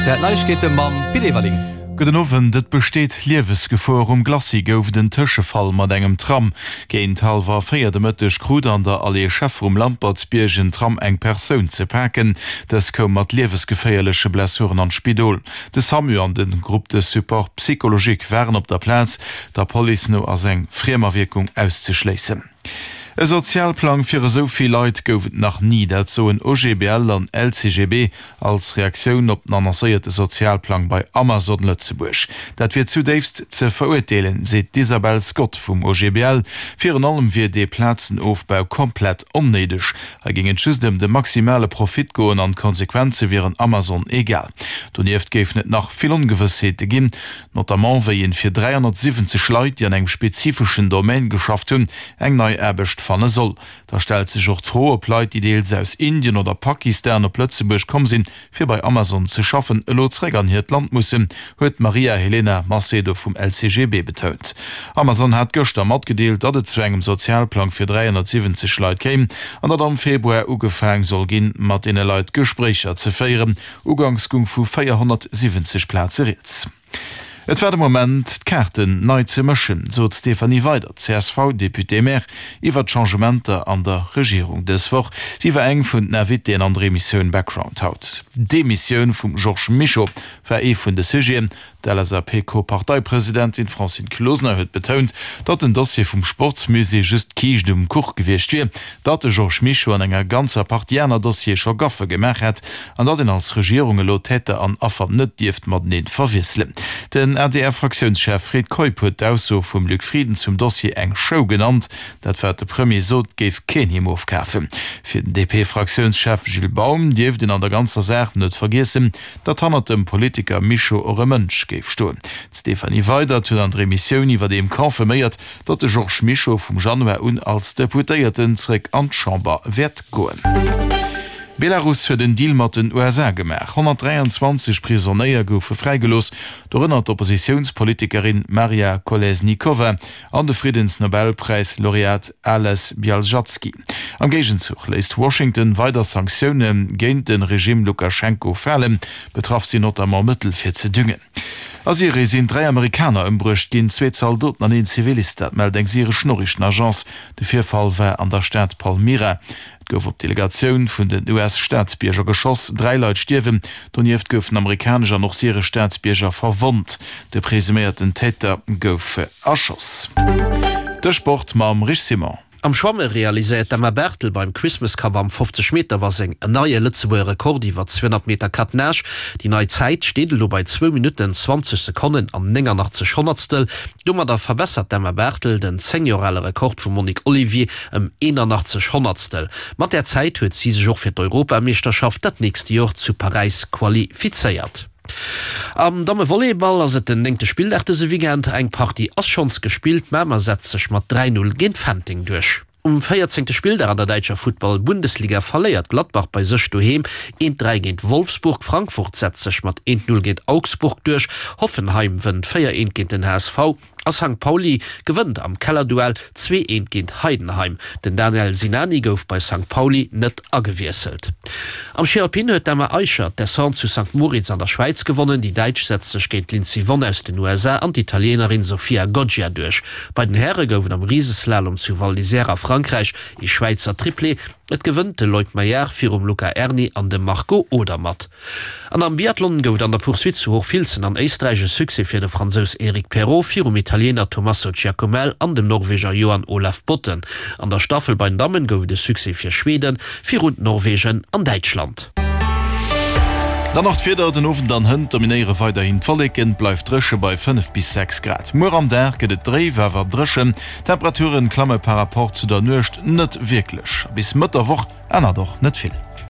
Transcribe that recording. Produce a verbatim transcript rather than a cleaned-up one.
R T L Neiegkeete mam Pit Everling. Gudden Owend, Et besteet Liewesgefor. Um Glacis gouf et en Tëschefall mat engem Tram. Géint hallwer véier de Mëtteg krut an der Allée Scheffer um Lampertsbierg en Tram eng Persoun ze paken. Dës koum mat liewesgeféierleche Blessuren an d'Spidol. De Samu an de Groupe de support psychologique waren op der Plaz. Der Police no ass eng Friemawierkung auszeschléissen. E Sozialplang fir esou vill Leit gouf et nach ni, dat soen O G B L an L C G B als Reaktioun op den annoncéierte Sozialplang bei Amazon Lëtzebuerg. Dat wier zudéifst ze verurteelen, seet d'Isabel Scott vum O G B L. Virun allem wier dee Plazenofbau komplett onnéideg. Hei géing et just ëm de maximale Profit goen an d'Konsequenze wieren Amazon egal. Donieft géifen et nach vill Ongewëssheete ginn, notamment wéi een fir dräihonnertsiwwenzeg Leit, déi an engem spezifeschen Domaine geschafft hunn, eng nei Aarbecht fanne soll. Da stellt sech och d'Fro, ob Leit, déi deels aus Indien oder Pakistan op Lëtzebuerg komm sinn, fir bei Amazon ze schaffen, elo zeréck an hiert Land mussen, huet d'Maria Helena Macedo vum L C G B betount. Amazon hat gëschter matgedeelt, datt et zu engem Sozialplang fir dräihonnertsiwwenzeg Leit kéim an datt am Februar ugefaang soll ginn, mat deene Leit Gespréicher ze féieren. Uganks goung vu véierhonnertsiwwenzeg Plaze rieds. Et war de Moment, d'Kaarten nei ze mëschen, sot d'Stéphanie Weydert, C S V-Députée-Maire, iwwer d'Changementer an der Regierung dës Woch. Si war eng vun den Invitéen an der Emissioun Background haut. D'Demissioun vum Georges Mischo war ee vun de Sujeten. D'L S A P-Co-Parteipresidentin Francine Closener huet betount, datt den Dossier vum Sportsmusée just d'Kiischt um Kuch gewiescht wier, datt de Georges Mischo an enger ganzer Partie aner Dossiere scho Gaffe gemaach hätt an datt een als Regierung elo Täter an Affer net dierft matenee verwiesselen. Den A D R-Fraktiounschef Fred Keup huet d'Ausso vum Luc Frieden zum Dossier eng Show genannt. Dat wat de Premier sot, géif keen him ofkafen. Fir den D P-Fraktiounschef Gilles Baum dierft een an der ganzer Saach net vergiessen, datt hannert dem Politiker Mischo och e Mënsch géif stoen. D'Stéphanie Weydert huet an der Emissioun iwwerdeem confirméiert, datt de Georges Mischo vum Januar un als Deputéierten zeréck an d'Chamber wäert goen. Belarus huet en Deal mat den U S A gemaach. honnertdräianzwanzeg Prisonéier goufe fräigelooss, dorënner d'Oppositiounspolitikerin Maria Kolesnikova an de Friddensnobelpräis-Laureat Ales Bialjatsky. Am Géigenzuch léisst Washington weider Sanktioune géint de Regime Lukaschenko falen, betraff sinn notamment Mëttel fir ze düngen. A Syrie sinn dräi Amerikaner ëmbruecht ginn, zwee Zaldoten an een Zivilist, dat mellt eng syresch Noriichtenagence. De Virfall war an der Stad Palmyra. Et gouf op d'Delegatioun vun den U S-Staatsbierger geschoss, dräi Leit stierwen, donieft goufen amerikanesch an och syresch Staatsbierger verwonnt. De presuméierten Täter gouf erschoss. De Sport mam Rich Simon. Am Schwamme realiséiert d'Emma Bertel beim Christmas Cup am fofzeg Meter Baseng en neie Lëtzebuerger Rekord iwwer zweehonnert Meter Quatre-Nages. Déi nei Zäit steet elo bei zwou Minutten, zwanzeg Sekonnen an nénganaachtzeg Honnertstel. Domadder verbessert d'Emma Bertel den zéng Joer ale Rekord vum Monique Olivier ëm eenanaachtzeg Honnertstel. Mat där Zäit huet si sech och fir d'Europameeschterschaft dat nächst Joer zu Paräis qualifizéiert. Am Dammevolleyball ass et den néngte Spilldag dëse Weekend. Eng Partie ass schonns gespillt, Mamer setzt sech mat dräi Null géint Fenteng duerch. Um véierzéngte Spilldag an der däitscher Futtball-Bundesliga verléiert Gladbach bei sech doheem eent dräi géint Wolfsburg, Frankfurt setzt sech mat eent Null géint Augsburg duerch, Hoffenheim wënnt véier eent géint den H S V a Sankt Pauli gewënnt am Kellerduell zwee eent géint Heidenheim. Den Daniel Sinani gouf bei Sankt Pauli net agewiesselt. Am Schi Alpin huet d'Emma Aicher d'Descente zu Sankt Moritz an der Schwäiz gewonnen. Déi Däitsch setzt sech géint d'Lindsey Vonn aus den U S A an d'Italienerin Sofia Goggia duerch. Bei den Häre gouf et am Riseslalom zu Val d'Isère a Frankräich ee Schwäizer Triplé. Et gewënnt de Loïc Meillard virum Luca Aerni an dem Marco Odermatt. An am Biathlon gouf et an der Poursuite zu Hochfilzen an Éisträich e Succès fir de Fransous Eric Perrot virum Italiener Tommaso Giacomel an dem Norweger Johan Olav Botten. An der Staffel bei den Dammen gouf et e Succès fir Schweden virun Norwegen an Däitschland. Dann nach d'Wieder, Den Owend an hënt dominéiere weiderhin d'Wolleken, et bleift dréche bei fënnef bis sechs Grad. Muer am Dag gëtt et dréif, awer dréchen. D'Temperature klamme par Rapport zu der Nuecht net wierklech. Bis Mëtt der Woch ännert och net vill.